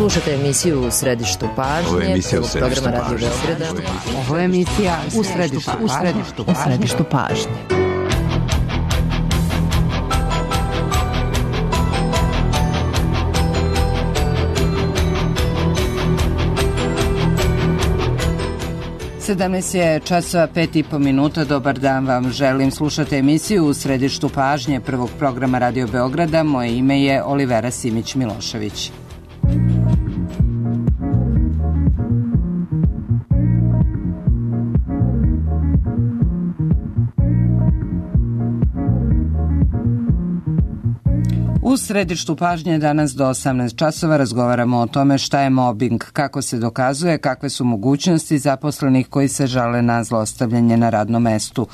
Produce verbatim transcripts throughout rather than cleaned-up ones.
Slušajte emisiju U središtu pažnje. Ovo je emisija U središtu programa Radio pažnje. Beograda. Ovo je emisija U središtu, u središtu, u središtu pažnje. sedamnaest je časova pet i po minuta. Dobar dan vam želim. Slušate emisiju U središtu pažnje prvog programa Radio Beograda. Moje ime je Olivera Simić-Milošević. U središtu pažnje danas do osamnaest časova razgovaramo o tome šta je mobing, kako se dokazuje, kakve su mogućnosti zaposlenih koji se žale na zlostavljanje na radnom mestu.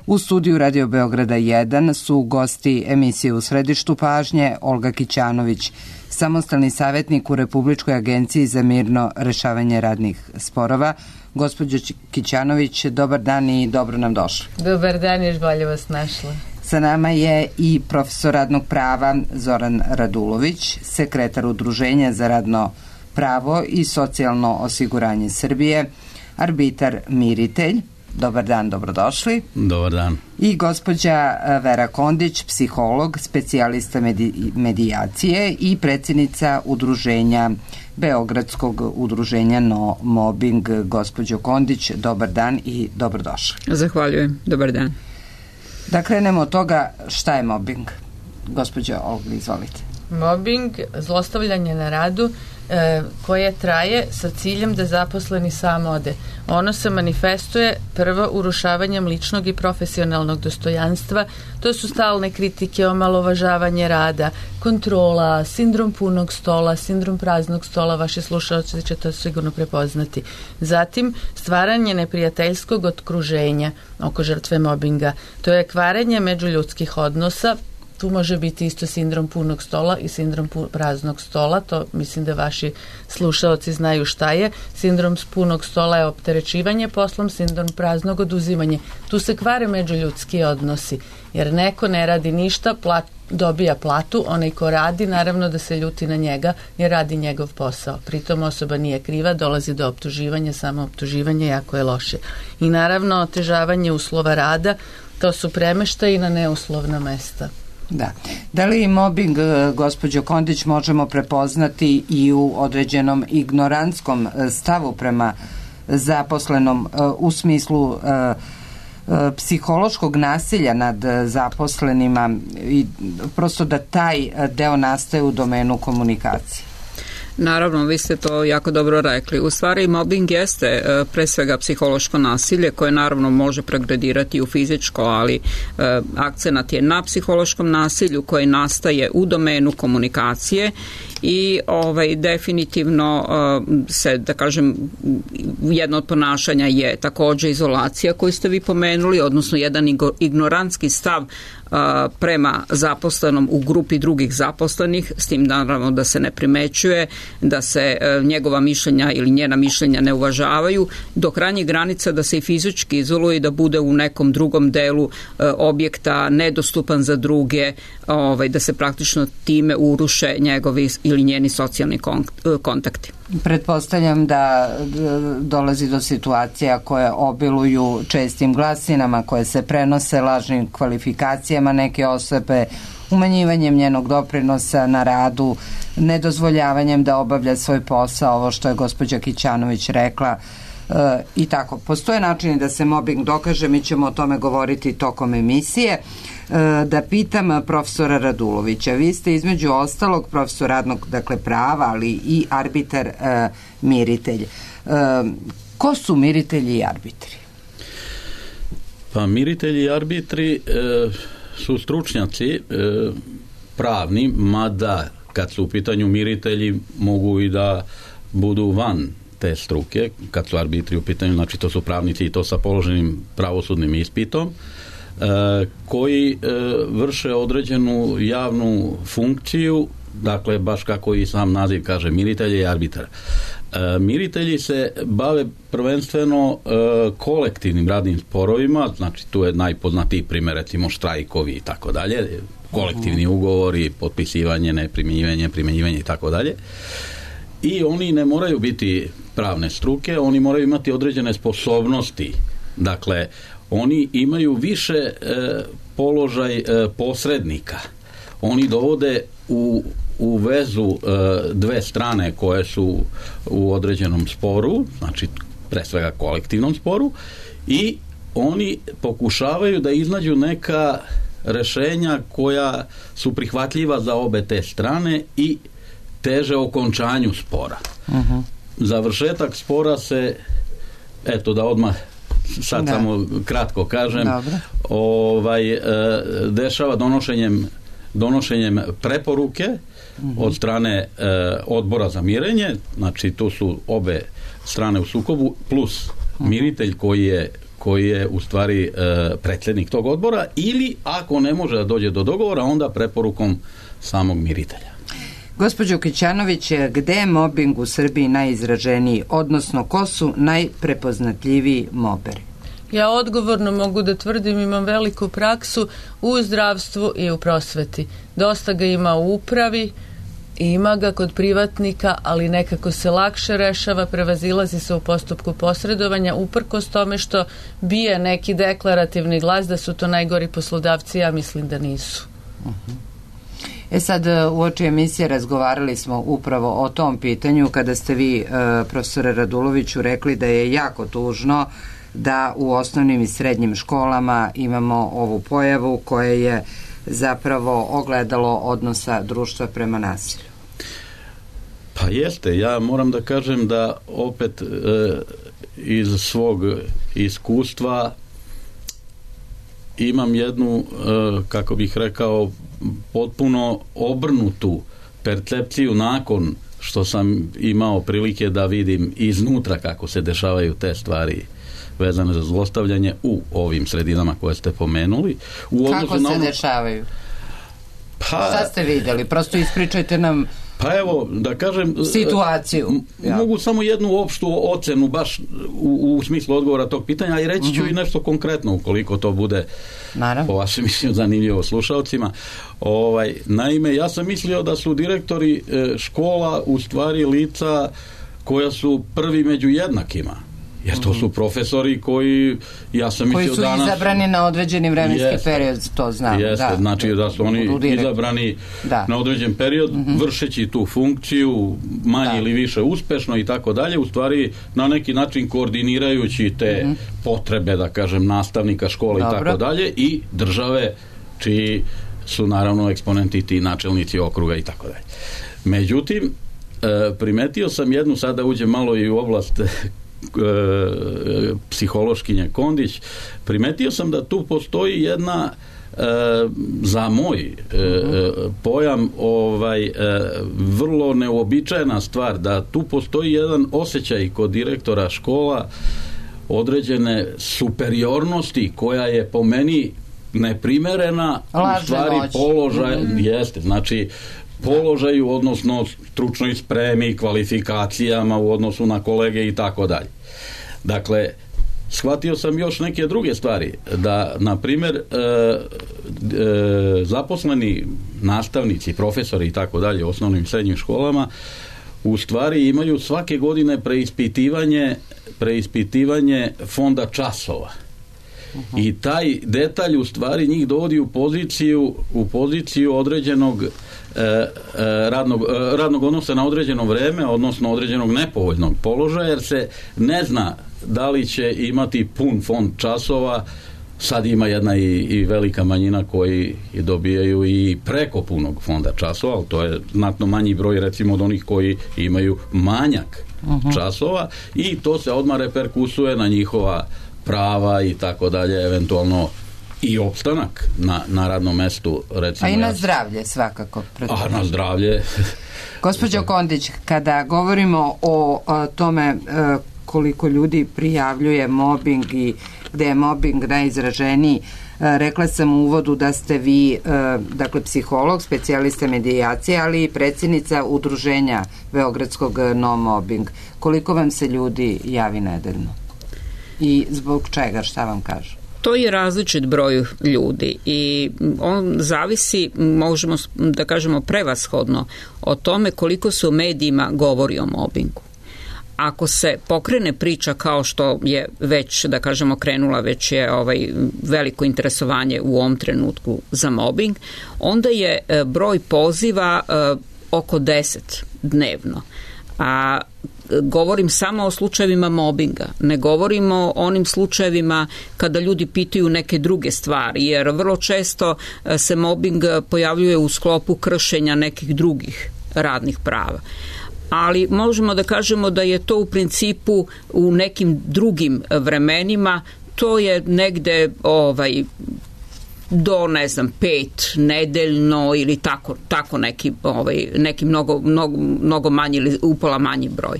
U studiju Radio Beograda jedan su gosti emisije U središtu pažnje Olga Kićanović, samostalni savjetnik u Republičkoj agenciji za mirno rešavanje radnih sporova. Gospođo Kićanović, dobar dan i dobro nam došli. Dobar dan, još bolje vas našla. Sa nama je i profesor radnog prava Zoran Radulović, sekretar Udruženja za radno pravo i socijalno osiguranje Srbije, arbitar miritelj. Dobar dan, dobrodošli. Dobar dan. I gospođa Vera Kondić, psiholog, specijalista medi- medijacije i predsjednica Udruženja Beogradskog udruženja No Mobbing. Gospođo Kondić, dobar dan i dobrodošli. Zahvaljujem, dobar dan. Da krenemo od toga šta je mobbing. Gospođo Olga, izvolite. Mobbing, zlostavljanje na radu e, koje traje sa ciljem da zaposleni sam ode. Ono se manifestuje prvo urušavanjem ličnog i profesionalnog dostojanstva. To su stalne kritike, omalovažavanje rada, kontrola, sindrom punog stola, sindrom praznog stola, vaši slušalci će to sigurno prepoznati. Zatim, stvaranje neprijateljskog okruženja oko žrtve mobinga. To je kvarenje međuljudskih odnosa. Tu može biti isto sindrom punog stola i sindrom praznog stola, to mislim da vaši slušaoci znaju šta je. Sindrom punog stola je opterećivanje poslom, sindrom praznog oduzimanje. Tu se kvare međuljudski odnosi, jer neko ne radi ništa, plat, dobija platu, onaj ko radi, naravno da se ljuti na njega jer radi njegov posao. Pritom osoba nije kriva, dolazi do optuživanja, samo optuživanje jako je loše. I naravno otežavanje uslova rada, to su premeštaji na neuslovna mesta. Da. Da li mobbing, gospođo Kondić, možemo prepoznati i u određenom ignorantskom stavu prema zaposlenom u smislu psihološkog nasilja nad zaposlenima i prosto da taj deo nastaje u domenu komunikacije? Naravno, vi ste to jako dobro rekli. U stvari, mobbing jeste e, pre svega psihološko nasilje koje naravno može pregradirati u fizičko, ali e, akcenat je na psihološkom nasilju koje nastaje u domenu komunikacije i ovaj definitivno uh, se, da kažem, jedno od ponašanja je takođe izolacija koju ste vi pomenuli, odnosno jedan ignorantski stav uh, prema zaposlenom u grupi drugih zaposlenih, s tim naravno da se ne primećuje, da se uh, njegova mišljenja ili njena mišljenja ne uvažavaju, do krajnjih granica da se i fizički izoluje i da bude u nekom drugom delu uh, objekta nedostupan za druge, ovaj, da se praktično time uruše njegovi ili njeni socijalni kontakti. Pretpostavljam da dolazi do situacija koje obiluju čestim glasinama, koje se prenose lažnim kvalifikacijama neke osobe, umanjivanjem njenog doprinosa na radu, nedozvoljavanjem da obavlja svoj posao, ovo što je gospođa Kićanović rekla, e, i tako. Postoje načini da se mobbing dokaže, mi ćemo o tome govoriti tokom emisije. Da pitam profesora Radulovića, vi ste između ostalog profesor radnog, dakle, prava, ali i arbitar e, miritelj. E, ko su miritelji i arbitri? Pa miritelji i arbitri e, su stručnjaci e, pravni, mada kad su u pitanju miritelji mogu i da budu van te struke, kad su arbitri u pitanju, znači to su pravnici i to sa položenim pravosudnim ispitom, koji vrše određenu javnu funkciju, dakle baš kako i sam naziv kaže, miritelj i arbitar. Miritelji se bave prvenstveno kolektivnim radnim sporovima, znači tu je najpoznatiji primjer recimo štrajkovi i tako dalje, kolektivni ugovori, potpisivanje, neprimjenjivanje, primjenjivanje i tako dalje. i oni ne moraju biti pravne struke, oni moraju imati određene sposobnosti. Dakle, oni imaju više e, položaj e, posrednika. Oni dovode u, u vezu e, dve strane koje su u određenom sporu, znači pre svega kolektivnom sporu, i oni pokušavaju da iznađu neka rešenja koja su prihvatljiva za obe te strane i teže okončanju spora. Uh-huh. Završetak spora se, eto da odmah sad da. samo kratko kažem, Dobre. ovaj e, dešava donošenjem donošenjem preporuke uh-huh. od strane e, odbora za mirenje, znači tu su obe strane u sukobu plus uh-huh. miritelj koji je koji je u stvari e, predsjednik tog odbora, ili ako ne može da dođe do dogovora, onda preporukom samog miritelja. Gospođo Kićanović, gde je mobing u Srbiji najizraženiji, odnosno ko su najprepoznatljiviji moberi? Ja odgovorno mogu da tvrdim, imam veliku praksu u zdravstvu i u prosveti. Dosta ga ima u upravi, ima ga kod privatnika, ali nekako se lakše rešava, prevazilazi se u postupku posredovanja, uprkos tome što bije neki deklarativni glas da su to najgori poslodavci, ja mislim da nisu. Uh-huh. E sad, u oči emisije razgovarali smo upravo o tom pitanju kada ste vi, profesore Raduloviću, rekli da je jako tužno da u osnovnim i srednjim školama imamo ovu pojavu koja je zapravo ogledalo odnosa društva prema nasilju. Pa jeste, ja moram da kažem da opet e, iz svog iskustva imam jednu, e, kako bih rekao, potpuno obrnutu percepciju nakon što sam imao prilike da vidim iznutra kako se dešavaju te stvari vezane za zlostavljanje u ovim sredinama koje ste pomenuli. U kako se ono... dešavaju? Pa... Šta ste vidjeli? Prosto ispričajte nam Pa evo, da kažem, situaciju. Ja. Mogu samo jednu opštu ocenu baš u, u smislu odgovora tog pitanja, i reći ću uh-huh. i nešto konkretno ukoliko to bude Naravno. po vašem mišljenju zanimljivo slušalcima. Ovaj, naime, ja sam mislio da su direktori e, škola u stvari lica koja su prvi među jednakima. Jer to su profesori koji, ja sam koji mislio su danas... izabrani na određeni vremenski jeste, period, to znam. Jeste, da, znači da su oni izabrani da. na određen period, mm-hmm. vršeći tu funkciju, manje da. ili više uspešno i tako dalje, u stvari na neki način koordinirajući te mm-hmm. potrebe, da kažem, nastavnika škole Dobro. i tako dalje, i države čiji su naravno eksponenti ti načelnici okruga i tako dalje. Međutim, primetio sam jednu, sada uđem malo i u oblast psihološkinje Kondić, primetio sam da tu postoji jedna e, za moj e, uh-huh. pojam ovaj e, vrlo neuobičajena stvar, da tu postoji jedan osjećaj kod direktora škola određene superiornosti koja je po meni neprimerena Lažne u stvari moći. položaj uh-huh. jeste, znači položaju, odnosno stručnoj spremi, kvalifikacijama u odnosu na kolege i tako dalje. Dakle, shvatio sam još neke druge stvari, da, na primjer, e, e, zaposleni nastavnici, profesori i tako dalje u osnovnim i srednjim školama u stvari imaju svake godine preispitivanje, preispitivanje fonda časova. Uh-huh. I taj detalj u stvari njih dovodi u poziciju, u poziciju određenog E, e, radnog, e, radnog odnosa na određeno vreme, odnosno određenog nepovoljnog položaja, jer se ne zna da li će imati pun fond časova. Sad ima jedna i, i velika manjina koji dobijaju i preko punog fonda časova, ali to je znatno manji broj recimo od onih koji imaju manjak uh-huh. časova, i to se odmah reperkusuje na njihova prava i tako dalje, eventualno i opstanak na, na radnom mestu, recimo. A i na zdravlje svakako. A na zdravlje. Gospođo Kondić, kada govorimo o, o tome koliko ljudi prijavljuje mobing i gde je mobing najizraženiji, rekla sam u uvodu da ste vi, dakle, psiholog, specijalista medijacije, ali i predsjednica udruženja Beogradskog No Mobbing. Koliko vam se ljudi javi nedeljno? I zbog čega, šta vam kažu? To je različit broj ljudi i on zavisi, možemo da kažemo prevashodno, o tome koliko se u medijima govori o mobingu. Ako se pokrene priča kao što je već, da kažemo, krenula, već je ovaj veliko interesovanje u ovom trenutku za mobbing, onda je broj poziva oko deset dnevno. A govorim samo o slučajevima mobinga, ne govorimo o onim slučajevima kada ljudi pitaju neke druge stvari, jer vrlo često se mobing pojavljuje u sklopu kršenja nekih drugih radnih prava. Ali možemo da kažemo da je to u principu u nekim drugim vremenima, to je negde ovaj, do, ne znam, pet nedeljno ili tako, tako neki, ovaj, neki mnogo, mnogo, mnogo manji ili upola manji broj.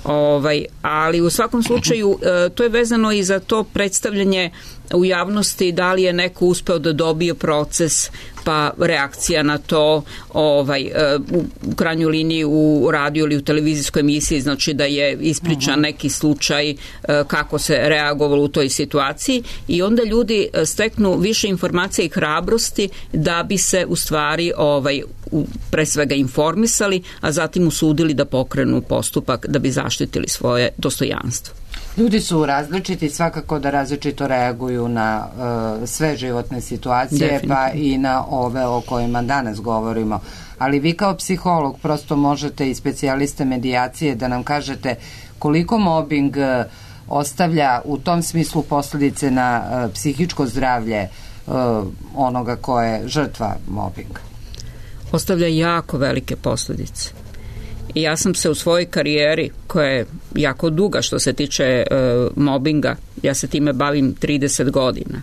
Ovaj, ali u svakom slučaju to je vezano i za to predstavljanje u javnosti, da li je neko uspeo da dobije proces, pa reakcija na to, ovaj, u krajnjoj liniji u radiju ili u televizijskoj emisiji, znači da je ispričan neki slučaj kako se reagovalo u toj situaciji i onda ljudi steknu više informacija i hrabrosti da bi se u stvari ovaj, pre svega informisali, a zatim usudili da pokrenu postupak da bi zaštitili svoje dostojanstvo. Ljudi su različiti, svakako da različito reaguju na uh, sve životne situacije, pa i na ove o kojima danas govorimo. Ali vi kao psiholog prosto možete i specijaliste medijacije da nam kažete koliko mobbing uh, ostavlja u tom smislu posljedice na uh, psihičko zdravlje uh, onoga ko je žrtva mobbinga. Ostavlja jako velike posljedice. I ja sam se u svojoj karijeri, koja je jako duga što se tiče e, mobinga, ja se time bavim trideset godina.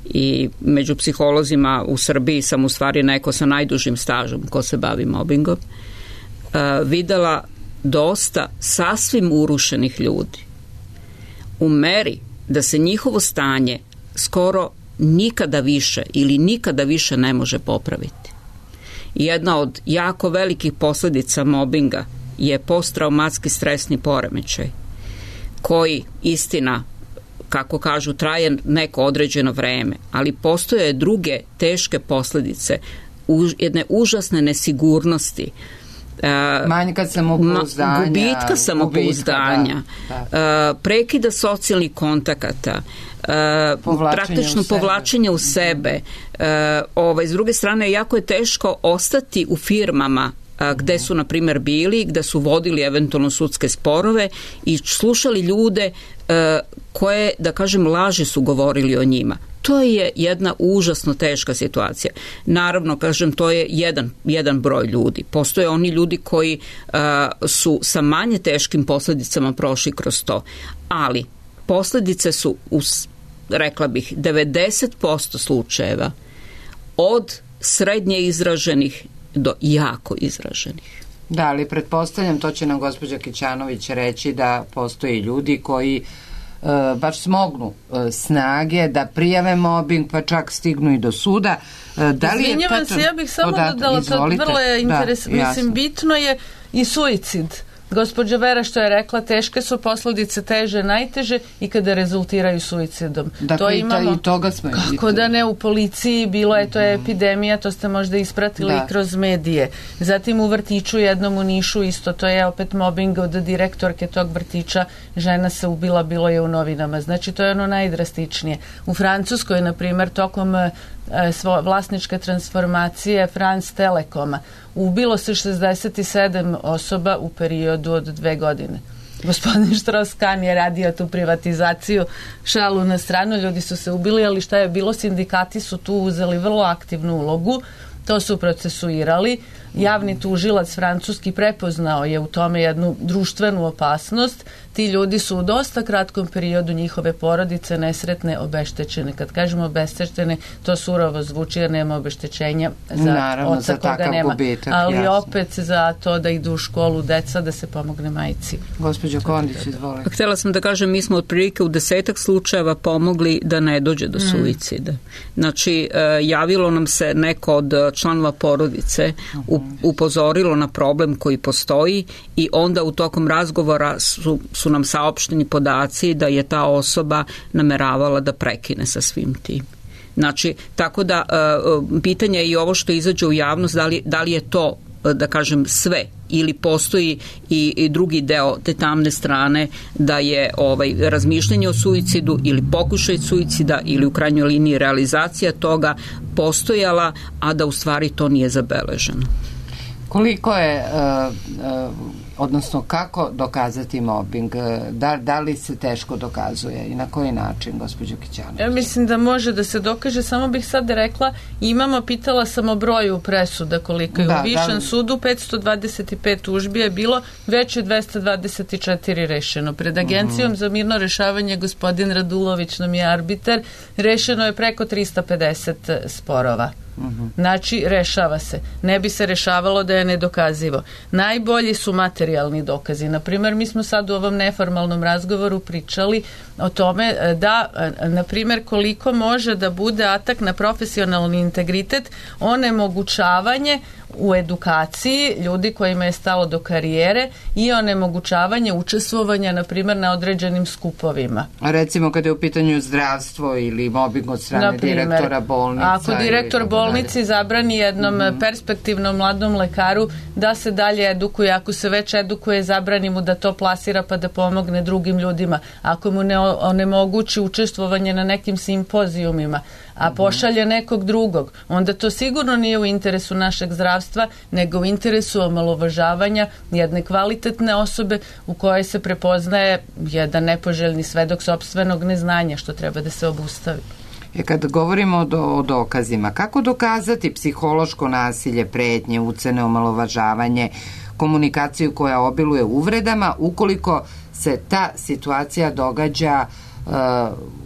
I među psiholozima u Srbiji sam u stvari neko sa najdužim stažom ko se bavi mobingom, e, videla dosta sasvim urušenih ljudi. U meri da se njihovo stanje skoro nikada više ili nikada više ne može popraviti. Jedna od jako velikih posljedica mobinga je posttraumatski stresni poremećaj, koji, istina, kako kažu, traje neko određeno vreme, ali postoje druge teške posljedice, jedne užasne nesigurnosti, manjka samopouzdanja, gubitka samopouzdanja, da. Prekida socijalnih kontakata, praktično povlačenje u sebe. Ovaj, s druge strane, jako je teško ostati u firmama gde su, na primjer, bili, gde su vodili eventualno sudske sporove i slušali ljude koje, da kažem, laži su govorili o njima. To je jedna užasno teška situacija. Naravno, kažem, to je jedan, jedan broj ljudi. Postoje oni ljudi koji uh, su sa manje teškim posljedicama prošli kroz to. Ali posljedice su, u, rekla bih, devedeset posto slučajeva od srednje izraženih do jako izraženih. Da, ali pretpostavljam, to će nam gospođa Kićanović reći, da postoji ljudi koji Uh, baš smognu uh, snage da prijave mobbing, pa čak stignu i do suda. Uh, da li Izvinjavam je se, ja bih samo podatak, dodala, izvolite. to vrlo je interes, da, mislim, bitno je i suicid. Gospođa Vera što je rekla, teške su posljedice, teže, najteže i kada rezultiraju suicidom. Dakle, to imamo, i toga smo kako vidjeli. Da ne, u policiji bilo je, to je epidemija, to ste možda ispratili da. kroz medije. Zatim u vrtiću jednom u Nišu isto, to je opet mobbing od direktorke tog vrtića, žena se ubila, bilo je u novinama. Znači, to je ono najdrastičnije. U Francuskoj, na primjer, tokom svo, vlasničke transformacije France Telekoma ubilo se šezdeset sedam osoba u periodu od dve godine. Gospodin Strauss-Kahn je radio tu privatizaciju, šalu na stranu, ljudi su se ubili, ali šta je bilo, sindikati su tu uzeli vrlo aktivnu ulogu, to su procesuirali. Javni tužilac francuski prepoznao je u tome jednu društvenu opasnost. Ti ljudi su u dosta kratkom periodu, njihove porodice nesretne, obeštećene. Kad kažemo obeštećene, to surovo zvuči jer nema obeštećenja za Naravno, oca za koga nema. Gubitak, ali jasno. Opet za to da idu u školu deca, da se pomogne majci. Gospođo Kondić, izvolite. Htjela sam da kažem, mi smo otprilike u desetak slučajeva pomogli da ne dođe do suicida. Mm. Znači, javilo nam se neko od članova porodice u upozorilo na problem koji postoji i onda u tokom razgovora su, su nam saopšteni podaci da je ta osoba nameravala da prekine sa svim tim. Znači, tako da pitanje je i ovo što izađe u javnost, da li, da li je to, da kažem, sve ili postoji i, i drugi deo te tamne strane da je ovaj razmišljanje o suicidu ili pokušaj suicida ili u krajnjoj liniji realizacija toga postojala, a da u stvari to nije zabeleženo. Koliko je, uh, uh, odnosno kako dokazati mobbing? Da, da li se teško dokazuje i na koji način, gospođo Kićanović? Ja mislim da može da se dokaže, samo bih sad rekla, imamo, pitala sam o broju presuda koliko je da, u Višem da, sudu, petsto dvadeset pet tužbi je bilo, već je dvesta dvadeset četiri rešeno. Pred Agencijom uh-huh. za mirno rešavanje, gospodin Radulović nam je arbitar, rešeno je preko trista pedeset sporova. Uh-huh. Znači, rešava se. Ne bi se rešavalo da je nedokazivo. Najbolji su materijalni dokazi. Naprimjer, mi smo sad u ovom neformalnom razgovoru pričali o tome da, naprimjer, koliko može da bude atak na profesionalni integritet, onemogućavanje u edukaciji ljudi kojima je stalo do karijere i onemogućavanje učestvovanja, na primjer, na određenim skupovima. A recimo kada je u pitanju zdravstvo ili mobbing od strane Naprimer, direktora bolnice. Ako direktor bolnici zabrani jednom mm-hmm. perspektivnom mladom lekaru da se dalje edukuje, ako se već edukuje, zabrani mu da to plasira pa da pomogne drugim ljudima. Ako mu ne onemogući učestvovanje na nekim simpozijumima, a pošalje nekog drugog, onda to sigurno nije u interesu našeg zdravstva, nego u interesu omalovažavanja jedne kvalitetne osobe u kojoj se prepoznaje jedan nepoželjni svedok sopstvenog neznanja, što treba da se obustavi. E kad govorimo o, do, o dokazima, kako dokazati psihološko nasilje, pretnje, ucene, omalovažavanje, komunikaciju koja obiluje uvredama, ukoliko se ta situacija događa uh,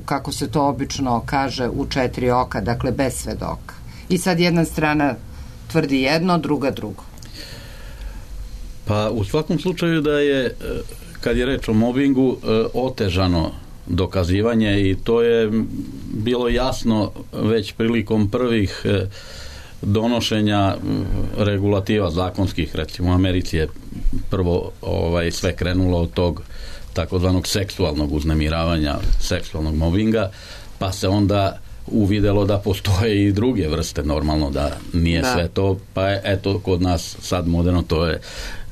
kako se to obično kaže, u četiri oka, dakle bez svedoka. I sad jedna strana tvrdi jedno, druga drugo. Pa u svakom slučaju da je, kad je reč o mobingu, otežano dokazivanje i to je bilo jasno već prilikom prvih donošenja regulativa zakonskih, recimo u Americi je prvo ovaj, sve krenulo od tog takozvanog seksualnog uznemiravanja, seksualnog mobinga, pa se onda uvidelo da postoje i druge vrste, normalno da nije da. sve to, pa je, eto, kod nas sad moderno, to je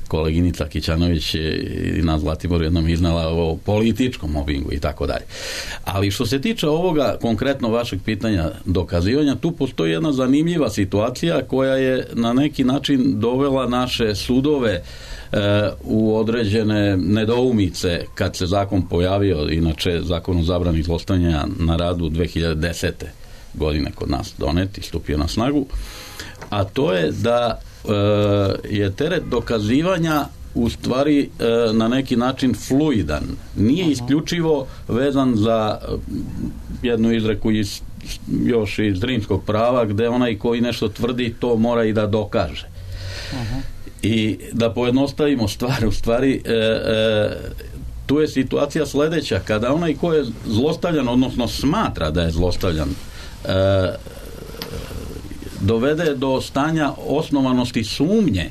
koleginica Kićanović i na Zlatiboru jednom iznala o političkom mobingu i tako dalje. Ali što se tiče ovoga konkretno vašeg pitanja dokazivanja, tu postoji jedna zanimljiva situacija koja je na neki način dovela naše sudove u određene nedoumice kad se zakon pojavio, inače zakon o zabrani zlostavljanja na radu dve hiljade desete godine kod nas donet i stupio na snagu, a to je da e, je teret dokazivanja u stvari e, na neki način fluidan. Nije isključivo vezan za jednu izreku iz, još iz rimskog prava, gde onaj koji nešto tvrdi to mora i da dokaže. Aha. I da pojednostavimo stvar, u stvari e, e, tu je situacija sledeća, kada onaj ko je zlostavljan, odnosno smatra da je zlostavljan, e, dovede do stanja osnovanosti sumnje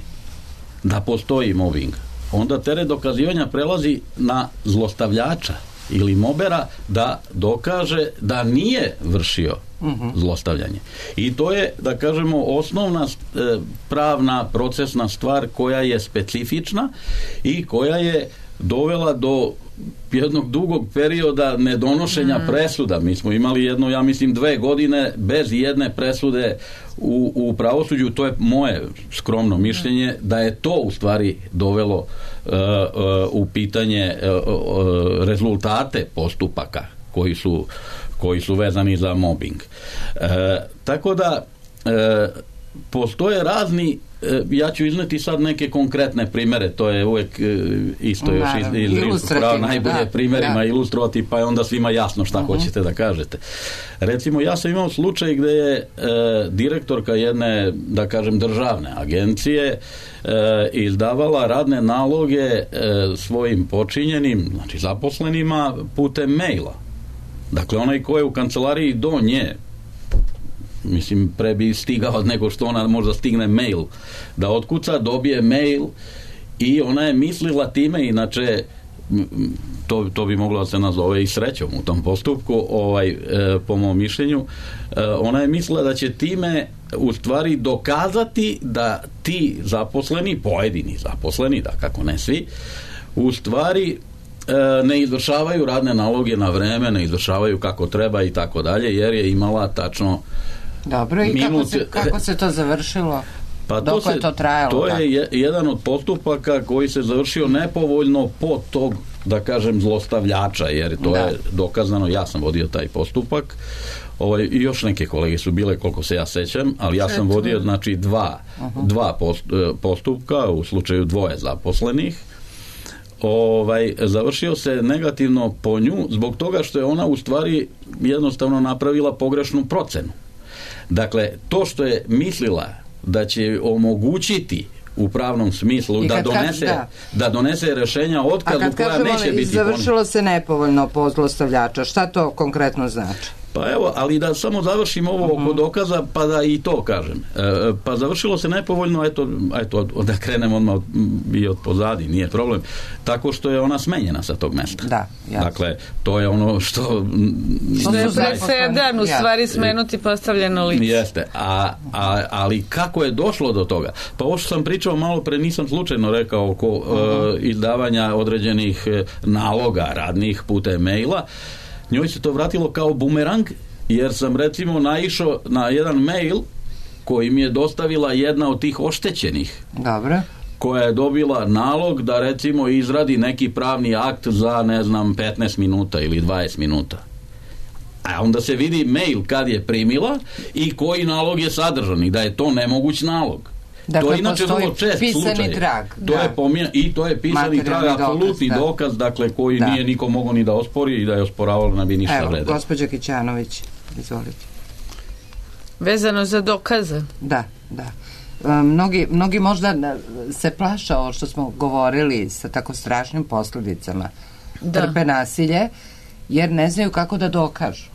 da postoji mobing, onda teret dokazivanja prelazi na zlostavljača ili mobera da dokaže da nije vršio uh-huh. zlostavljanje. I to je, da kažemo, osnovna e, pravna procesna stvar koja je specifična i koja je dovela do jednog dugog perioda nedonošenja mm. presuda. Mi smo imali jedno, ja mislim, dve godine bez jedne presude u, u pravosuđu. To je moje skromno mišljenje da je to u stvari dovelo uh, uh, u pitanje uh, uh, rezultate postupaka koji su, koji su vezani za mobbing. Uh, tako da uh, postoje razni, ja ću izneti sad neke konkretne primere, to je uvek isto još iz, iz rimskog prava, najbolje da, primjerima da. ilustrovati, pa je onda svima jasno šta uh-huh. hoćete da kažete. Recimo, ja sam imao slučaj gde je e, direktorka jedne, da kažem, državne agencije e, izdavala radne naloge e, svojim počinjenim, znači zaposlenima, putem maila. Dakle, onaj ko je u kancelariji do nje mislim, pre bi stigao nego što ona možda stigne mail da otkuca, dobije mail i ona je mislila time, inače to, to bi moglo da se nazove i srećom u tom postupku, ovaj, e, po mom mišljenju, e, ona je mislila da će time u stvari dokazati da ti zaposleni, pojedini zaposleni, da kako ne svi, u stvari e, ne izvršavaju radne naloge na vreme, ne izvršavaju kako treba i tako dalje, jer je imala tačno Dobro, i minut... kako, se, kako se to završilo? Pa Dok to, se, je to trajalo? to tako? je jedan od postupaka koji se završio nepovoljno po tog, da kažem, zlostavljača, jer to da. je dokazano, ja sam vodio taj postupak, ovaj, i još neke kolege su bile, koliko se ja sećam, ali ja sam vodio, znači, dva, uh-huh. dva post, postupka u slučaju dvoje zaposlenih. Ovaj, završio se negativno po nju zbog toga što je ona u stvari jednostavno napravila pogrešnu procenu. Dakle, to što je mislila da će omogućiti u pravnom smislu da donese, da. da donese rešenja o otkazu koja neće biti završilo pon... se nepovoljno po zlostavljača. Šta to konkretno znači? Pa evo, ali da samo završim ovo uh-huh. oko dokaza, pa da i to kažem. E, pa završilo se nepovoljno, eto, eto da krenem odmah od, i od pozadi, nije problem, tako što je ona smenjena sa tog mesta. Da, jasno. Dakle, to je ono što... Što je presedan, u stvari smenuti postavljeno lice. Jeste, a, a, ali kako je došlo do toga? Pa ovo što sam pričao malo pre, nisam slučajno rekao oko uh-huh. e, izdavanja određenih naloga radnih putem maila. Njoj se to vratilo kao bumerang, jer sam recimo naišao na jedan mail koji mi je dostavila jedna od tih oštećenih. Dobro. Koja je dobila nalog da recimo izradi neki pravni akt za, ne znam, petnaest minuta ili dvadeset minuta. A onda se vidi mail kad je primila i koji nalog je sadržan i da je to nemoguć nalog. Dakle, to je inače vrlo čest slučaj. Trag, to da. je pomija, i to je pisani trag, apsolutni dokaz, dokaz, dakle, koji da. nije niko mogao ni da ospori i da je osporavalo ne bi ništa Evo, vredilo. gospođa Kićanović, izvolite. Vezano za dokaze? Da, da. E, mnogi, mnogi možda se plaša ovo što smo govorili sa tako strašnim posljedicama. Da. Trpe nasilje, jer ne znaju kako da dokažu.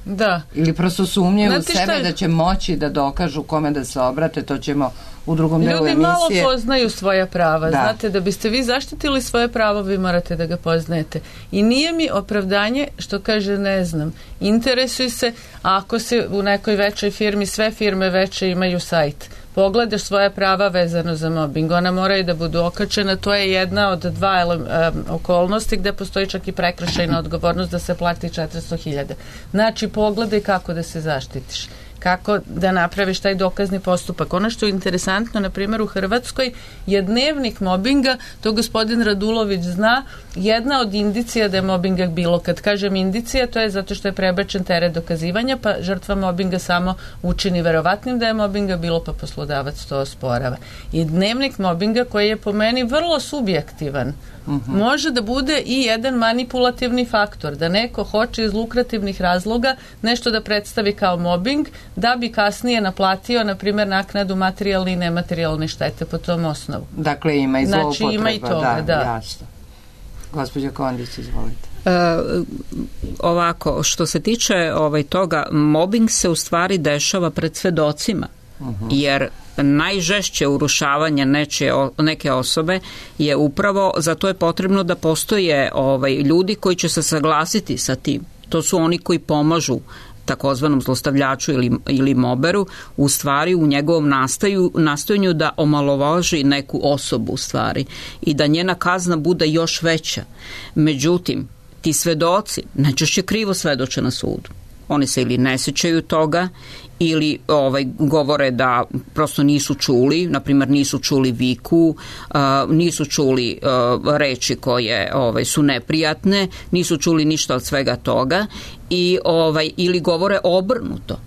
Da. Ili prosto sumnjaju u Znate sebe je? da će moći da dokažu kome da se obrate, to ćemo u drugom delu emisije. Ljudi malo poznaju svoja prava. Da. Znate, da biste vi zaštitili svoje pravo, vi morate da ga poznajete. I nije mi opravdanje što kaže ne znam. Interesuj se, ako se u nekoj većoj firmi, sve firme veće imaju sajt, pogledaš svoja prava vezano za mobbing, ona moraju da budu okačena, to je jedna od dva um, okolnosti gde postoji čak i prekršajna odgovornost da se plati četiristo hiljada. Znači, pogledaj kako da se zaštitiš, kako da napraviš taj dokazni postupak. Ono što je interesantno, na primjer u Hrvatskoj, je dnevnik mobinga, to gospodin Radulović zna, jedna od indicija da je mobinga bilo. Kad kažem indicija, to je zato što je prebačen teret dokazivanja, pa žrtva mobinga samo učini verovatnim da je mobinga bilo, pa poslodavac to osporava. I dnevnik mobinga, koji je po meni vrlo subjektivan, uh-huh. može da bude i jedan manipulativni faktor, da neko hoće iz lukrativnih razloga nešto da predstavi kao mobbing, da bi kasnije naplatio, na primjer, naknadu materijalne i nematerijalne štete po tom osnovu. Dakle, ima i zloupotreba. Znači, ima i toga, da. da. Jasno. Gospođa Kondić, izvolite. E, ovako, što se tiče ovaj, toga, mobbing se u stvari dešava pred svedocima, uh-huh. jer najžešće urušavanje neče, neke osobe je upravo, zato je potrebno da postoje ovaj, ljudi koji će se saglasiti sa tim. To su oni koji pomažu takozvanom zlostavljaču ili, ili moberu, u stvari u njegovom nastaju, nastojanju da omalovaži neku osobu u stvari i da njena kazna bude još veća. Međutim, ti svedoci najčešće krivo svedoče na sudu. Oni se ili ne sećaju toga ili ovaj, govore da prosto nisu čuli, na primjer nisu čuli viku, uh, nisu čuli uh, reči koje ovaj, su neprijatne, nisu čuli ništa od svega toga i ovaj, ili govore obrnuto.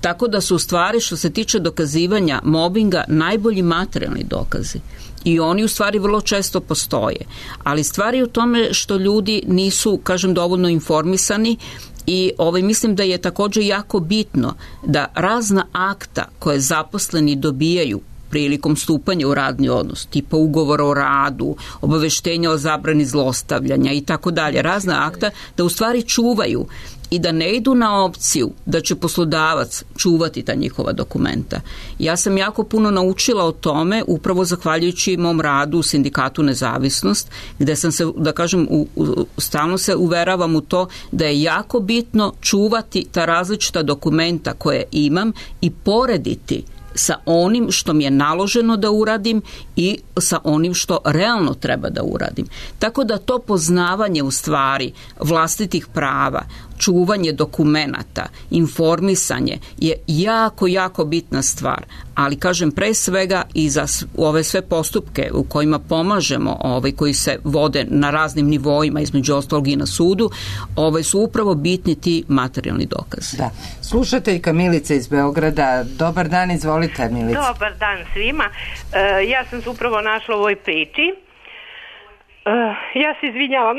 Tako da su u stvari, što se tiče dokazivanja mobinga, najbolji materijalni dokazi. I oni u stvari vrlo često postoje. Ali stvari u tome što ljudi nisu, kažem, dovoljno informisani i ovaj, mislim da je također jako bitno da razna akta koje zaposleni dobijaju prilikom stupanja u radni odnos, tipa ugovora o radu, obaveštenja o zabrani zlostavljanja i tako dalje, razna akta, da u stvari čuvaju i da ne idu na opciju da će poslodavac čuvati ta njihova dokumenta. Ja sam jako puno naučila o tome upravo zahvaljujući mom radu u Sindikatu Nezavisnost, gde sam se, da kažem, u, u, stalno se uveravam u to da je jako bitno čuvati ta različita dokumenta koje imam i porediti sa onim što mi je naloženo da uradim i sa onim što realno treba da uradim. Tako da to poznavanje u stvari vlastitih prava, čuvanje dokumenata, informisanje je jako, jako bitna stvar. Ali kažem, pre svega i za ove sve postupke u kojima pomažemo, ovaj, koji se vode na raznim nivoima, između ostalog i na sudu, ovaj, su upravo bitni ti materijalni dokazi. Da. Slušateljka Milica iz Beograda. Dobar dan, izvolite Milica. Dobar dan svima. Uh, ja sam se upravo našla u ovoj priči. Uh, ja se izvinjavam.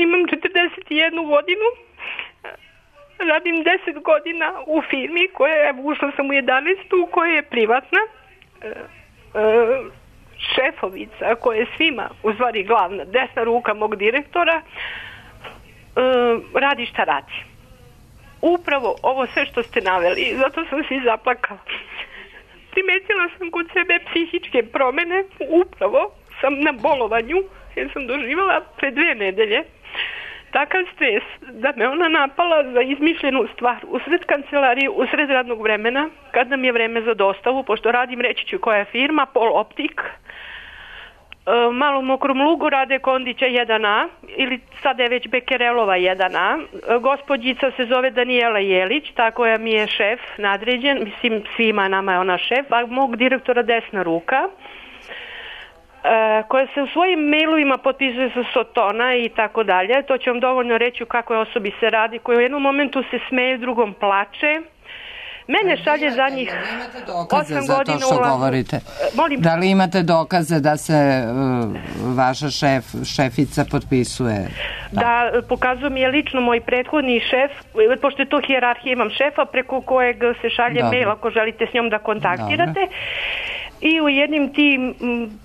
Imam četrdeset jednu godinu, radim deset godina u firmi koja je, ušla sam u jedanaestu, koja je privatna. E, e, šefovica koja je svima, u stvari glavna, desna ruka mog direktora, e, radi šta radi. Upravo ovo sve što ste naveli, zato sam se i zaplakala. Primetila sam kod sebe psihičke promene, upravo sam na bolovanju, jer sam doživala pre dve nedelje takav stres da me ona napala za izmišljenu stvar usred kancelarije, usred radnog vremena, kad nam je vreme za dostavu, pošto radim, reći ću koja je firma, Pol Optik, Malom Mokrom Lugu rade Kondića jedan A, ili sada je već Bekerelova jedan A. Gospođica se zove Danijela Jelić, ta koja mi je šef nadređen, mislim svima nama je ona šef, a mog direktora desna ruka, koja se u svojim mailovima potpisuje sa Sotona i tako dalje. To ću vam dovoljno reći u kakvoj osobi se radi, koja u jednom momentu se smeje, drugom plače. Mene šalje za njih osam godina što ula... govorite. Molim. Da li imate dokaze da se uh, vaša šef, šefica potpisuje? Da, da pokazuje mi je lično moj prethodni šef, pošto je to hijerarhija, imam šefa preko kojeg se šalje Dobre. mail ako želite s njom da kontaktirate. Dobre. I u jednim tim,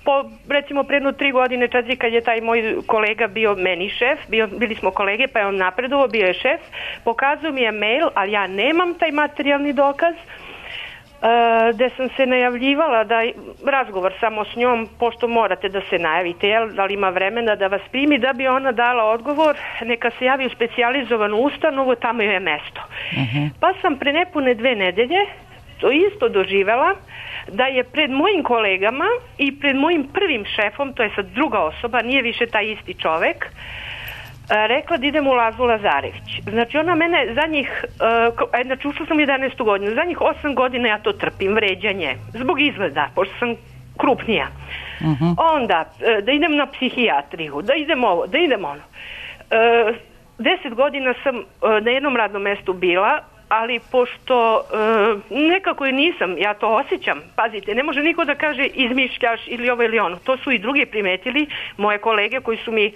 po, recimo predno tri godine, četiri, kad je taj moj kolega bio meni šef, bio, bili smo kolege, pa je on napredovao, bio je šef, pokazao mi je mail, ali ja nemam taj materijalni dokaz, uh, gde sam se najavljivala da razgovor samo s njom, pošto morate da se najavite, jel, da li ima vremena da vas primi, da bi ona dala odgovor, neka se javi u specijalizovanu ustanovu, tamo joj je mesto. Uh-huh. Pa sam pre nepune dve nedelje to isto doživela, da je pred mojim kolegama i pred mojim prvim šefom, to je sad druga osoba, nije više taj isti čovek, rekla da idem u Lazu Lazarević. Znači ona mene za njih, znači ušla sam jedanaestu godinu, za njih osam godina ja to trpim, vređanje, zbog izgleda, pošto sam krupnija. Uh-huh. Onda, da idem na psihijatriju, da idem ovo, da idem ono. Deset godina sam na jednom radnom mestu bila, ali pošto e, nekako i nisam, ja to osjećam, pazite, ne može niko da kaže izmišljaš ili ovo ili ono, to su i drugi primetili, moje kolege koji su mi,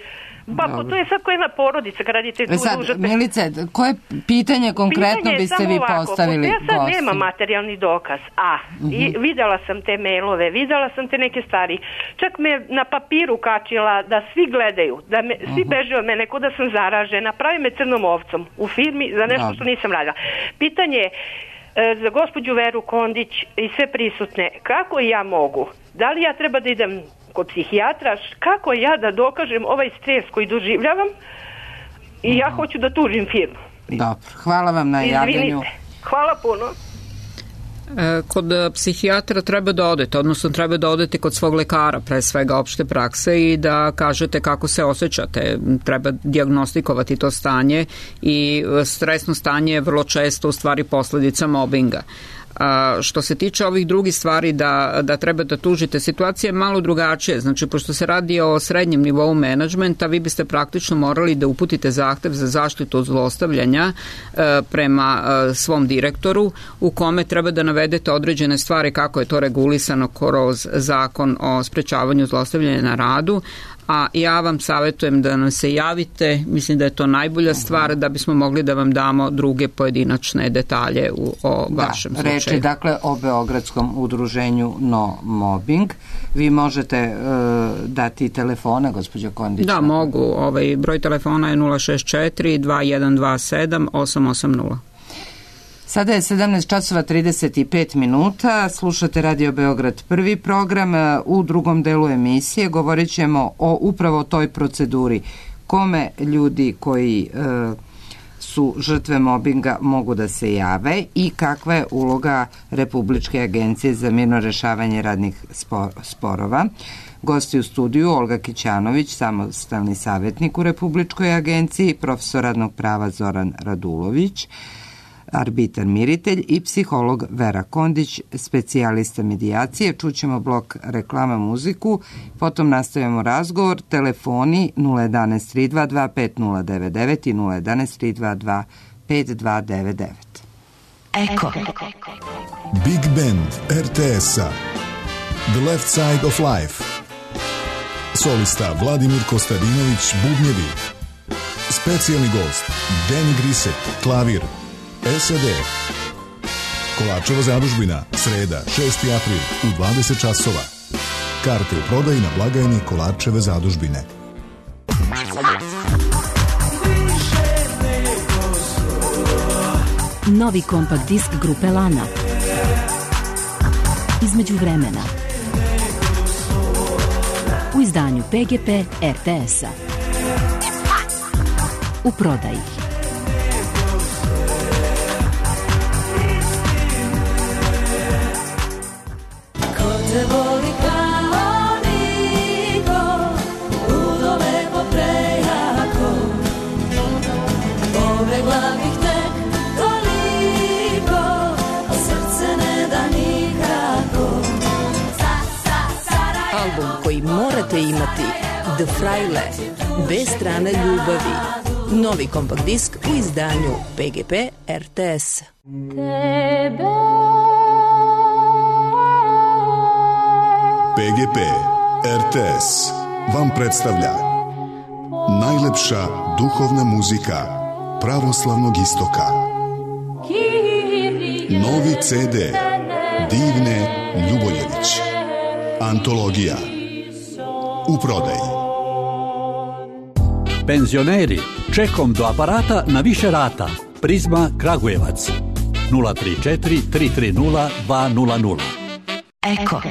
pa Dobre. To je sad koja jedna porodica, kad radite tu sad, dužate. Milice, koje pitanje konkretno pitanje biste vi ovako, postavili? Ja sad nemam materijalni dokaz, a uh-huh. i videla sam te mailove, videla sam te neke stvari, čak me na papiru kačila da svi gledaju, da me, uh-huh. svi beže od mene, ko da sam zaražena, pravi me crnom ovcom u firmi za nešto Dobre. Što nisam radila. Pitanje je za gospođu Veru Kondić i sve prisutne, kako ja mogu, da li ja treba da idem kod psihijatra, kako ja da dokažem ovaj stres koji doživljavam i ja hoću da tužim firmu. Dobro, hvala vam na javljanju. Izvinite, hvala puno. Kod psihijatra treba da odete, odnosno treba da odete kod svog lekara, pre svega opšte prakse, i da kažete kako se osjećate. Treba dijagnostikovati to stanje i stresno stanje je vrlo često u stvari posledica mobinga. A, što se tiče ovih drugih stvari da, da treba da tužite, situacija je malo drugačija. Znači, pošto se radi o srednjem nivou menadžmenta, vi biste praktično morali da uputite zahtev za zaštitu od zlostavljanja e, prema e, svom direktoru, u kome treba da navedete određene stvari kako je to regulisano kroz zakon o sprečavanju zlostavljanja na radu, a ja vam savjetujem da nam se javite, mislim da je to najbolja stvar da bismo mogli da vam damo druge pojedinačne detalje u, o da, vašem slučaju. Reč je dakle o Beogradskom udruženju No Mobbing. Vi možete uh, dati telefone, gospođo Kondić? Da, mogu. Ovaj broj telefona je nula šest četiri dva jedan dva sedam osam osam nula. Sada je sedamnaest časova trideset pet minuta, slušate Radio Beograd prvi program. U drugom delu emisije govorit ćemo o upravo toj proceduri. Kome ljudi koji e, su žrtve mobinga mogu da se jave i kakva je uloga Republičke agencije za mirno rešavanje radnih sporova. Gosti u studiju Olga Kićanović, samostalni savjetnik u Republičkoj agenciji, profesor radnog prava Zoran Radulović, arbitar miritelj i psiholog Vera Kondić, specijalista medijacije. Čućemo blok reklama, muziku, potom nastavljamo razgovor. Telefoni nula jedan tri dva dva pet nula devet devet i nula jedan tri dva dva pet dva devet devet. Eko. Big Band er te es-a The Left Side of Life. Solista Vladimir Kostadinović, bubnjevi. Specijalni gost Danny Grisek, klavir. es de Kolačeva zadužbina, sreda, šesti april u dvadeset časova. Karte u prodaji na blagajni Kolačeve zadužbine. Novi kompakt disk grupe Lana. Između vremena. U izdanju P G P er te es-a. U prodaji. Koji morate imati, The Fraile, bez strane ljubavi. Novi kompakt disk u izdanju P G P er te es. P G P er te es vam predstavlja najlepša duhovna muzika pravoslavnog istoka. Novi ce de Divne Ljuboljević. Antologija. U prodaji. Penzioneri, čekom do aparata na više rata. Prizma Kragujevac. nula tri četiri tri tri nula dva nula nula. Eko.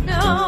No.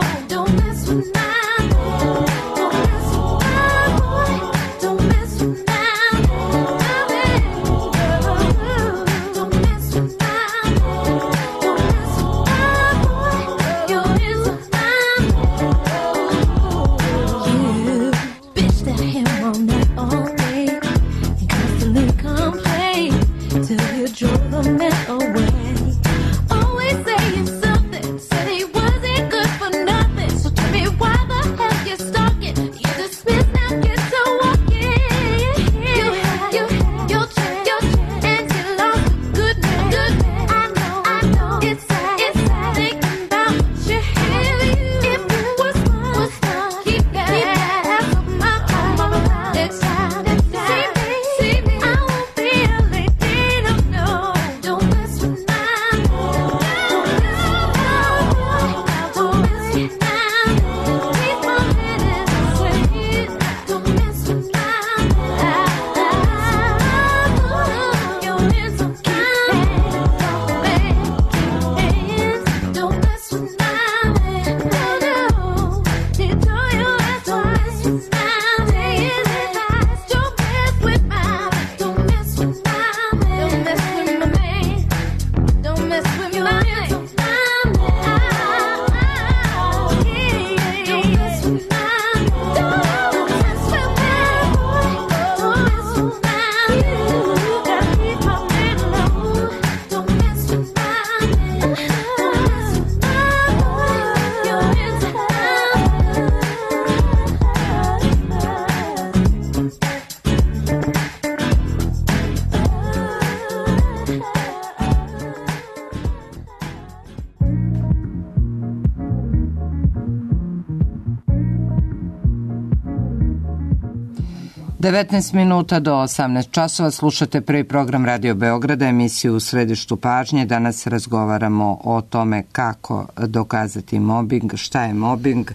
devetnaest minuta do osamnaest časova slušate prvi program Radio Beograda, emisiju U središtu pažnje. Danas razgovaramo o tome kako dokazati mobing, šta je mobing,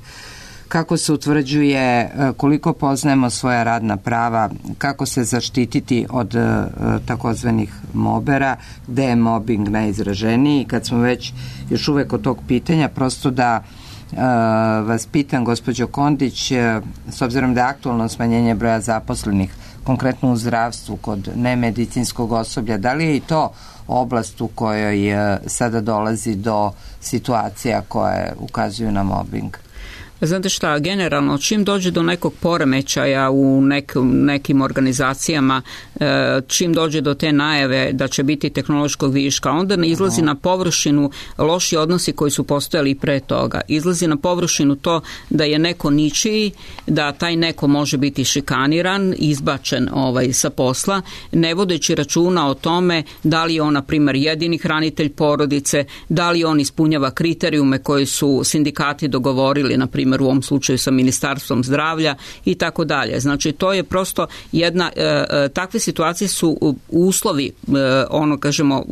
kako se utvrđuje, koliko poznajemo svoja radna prava, kako se zaštititi od takozvanih mobera, gde je mobing najizraženiji. Kad smo već još uvek od tog pitanja, prosto da Uh, vas pitam, gospođo Kondić, uh, s obzirom da je aktualno smanjenje broja zaposlenih, konkretno u zdravstvu kod nemedicinskog osoblja, da li je i to oblast u kojoj uh, sada dolazi do situacija koje ukazuju na mobbing? Znate šta, generalno, čim dođe do nekog poremećaja u nek, nekim organizacijama, čim dođe do te najave da će biti tehnološkog viška, onda ne izlazi na površinu loši odnosi koji su postojali pre toga. Izlazi na površinu to da je neko ničiji, da taj neko može biti šikaniran, izbačen ovaj, sa posla, ne vodeći računa o tome da li je on, na primjer, jedini hranitelj porodice, da li on ispunjava kriterijume koji su sindikati dogovorili, na primjer, u ovom slučaju sa Ministarstvom zdravlja i tako dalje. Znači, to je prosto jedna, e, takve situacije su uslovi, e, ono kažemo,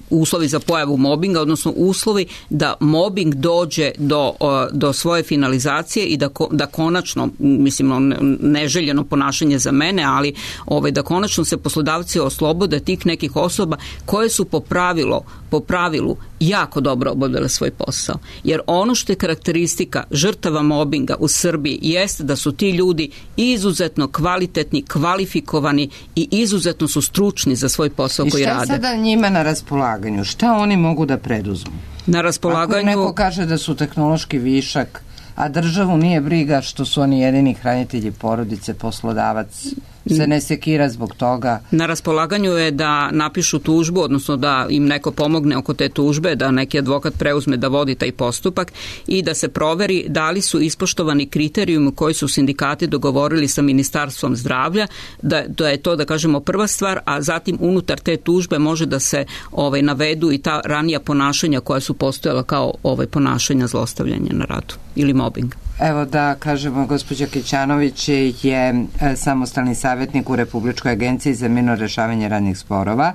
uslovi za pojavu mobinga, odnosno uslovi da mobing dođe do, do svoje finalizacije i da, da konačno, mislim, neželjeno ponašanje za mene, ali ovaj, da konačno se poslodavci oslobode tih nekih osoba koje su po pravilu, po pravilu jako dobro obavljale svoj posao. Jer ono što je karakteristika žrtava mobinga u Srbiji jeste da su ti ljudi izuzetno kvalitetni, kvalifikovani i izuzetno su stručni za svoj posao koji rade. I šta je sada njima na raspolaganju? Šta oni mogu da preduzmu? Na raspolaganju... Ako neko kaže da su tehnološki višak, a državu nije briga što su oni jedini hranitelji porodice, poslodavac se ne sekira zbog toga. Na raspolaganju je da napišu tužbu, odnosno da im neko pomogne oko te tužbe, da neki advokat preuzme da vodi taj postupak i da se proveri da li su ispoštovani kriterijumi koji su sindikati dogovorili sa Ministarstvom zdravlja, da, da je to, da kažemo, prva stvar, a zatim unutar te tužbe može da se ovaj, navedu i ta ranija ponašanja koja su postojala kao ovaj, ponašanja zlostavljanja na radu ili mobbing. Evo da kažemo, gospođa Kićanović je samostalni savjetnik u Republičkoj agenciji za mirno rešavanje radnih sporova.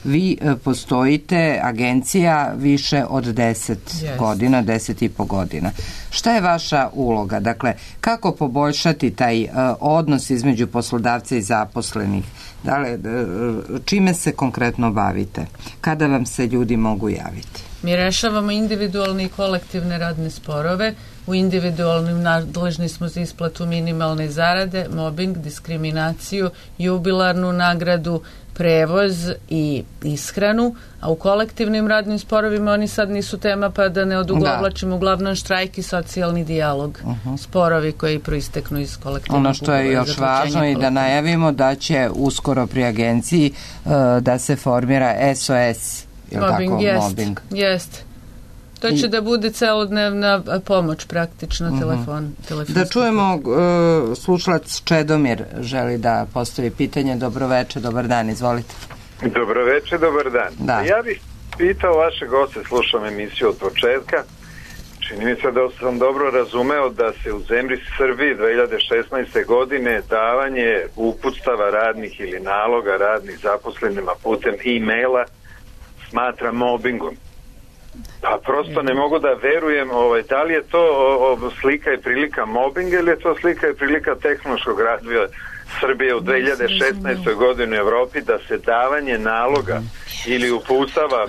Vi postojite, agencija, više od deset yes. godina, deset i po godina. Šta je vaša uloga? Dakle, kako poboljšati taj uh, odnos između poslodavca i zaposlenih? Da li, uh, čime se konkretno bavite? Kada vam se ljudi mogu javiti? Mi rešavamo individualne i kolektivne radne sporove. U individualnim nadležni smo za isplatu minimalne zarade, mobbing, diskriminaciju, jubilarnu nagradu, prevoz i ishranu, a u kolektivnim radnim sporovima oni sad nisu tema, pa da ne odugovlačimo, uglavnom štrajk i socijalni dijalog, uh-huh. sporovi koji proisteknu iz kolektivnog. Ono što je još važno i da najavimo da će uskoro pri agenciji uh, da se formira S O S, je li mobbing, tako? Jest, mobbing. Jest. To će I, da bude celodnevna pomoć praktično, uh-huh. telefon. Da čujemo, uh, slušalac Čedomir želi da postavi pitanje. Dobroveče, dobar dan, izvolite. Dobroveče, dobar dan. Da. Ja bih pitao vaše goste, slušam emisiju od početka. Čini mi se da sam dobro razumeo da se u zemlji Srbiji dve hiljade šesnaeste. godine davanje uputstava radnih ili naloga radnih zaposlenima putem e-maila smatra mobbingom. Pa prosto ne mogu da verujem, ovaj, da li je to o, o, slika i prilika mobbinga ili je to slika i prilika tehnološkog razvoja Srbije u dve hiljade šesnaestoj. godini u Evropi, da se davanje naloga ili uputstava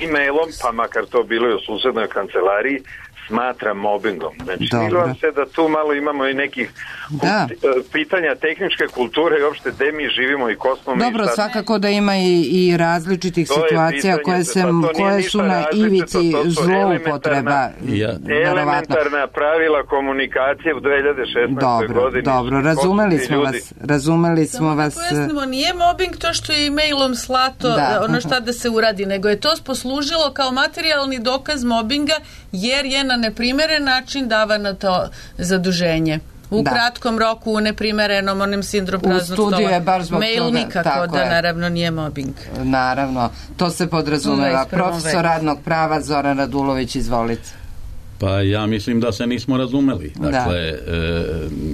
e-mailom, pa makar to bilo i u susednoj kancelariji, smatra mobbingom. Znači, vam se da tu malo imamo i nekih da. pitanja tehničke kulture i uopšte gde mi živimo i ko smo mi. Dobro, svakako da ima i, i različitih to situacija koje, se, koje su na ivici zloupotreba. Ja. Elementarna pravila komunikacije u dve hiljade šesnaestoj. Dobro, godini. Dobro, razumeli smo ljudi. vas. Razumeli smo Samo vas. Pojasnimo, nije mobbing to što je e-mailom slato da. ono šta da se uradi, nego je to poslužilo kao materijalni dokaz mobbinga jer je na neprimeren način davano to zaduženje. U da. kratkom roku, u neprimerenom, onim sindrom praznog stola. U studiju je baš zbog Mail toga. nikako da, je. naravno, nije mobbing. Naravno, to se podrazumeva. Profesor radnog prava Zoran Radulović, izvolite. Pa ja mislim da se nismo razumeli. Dakle, e,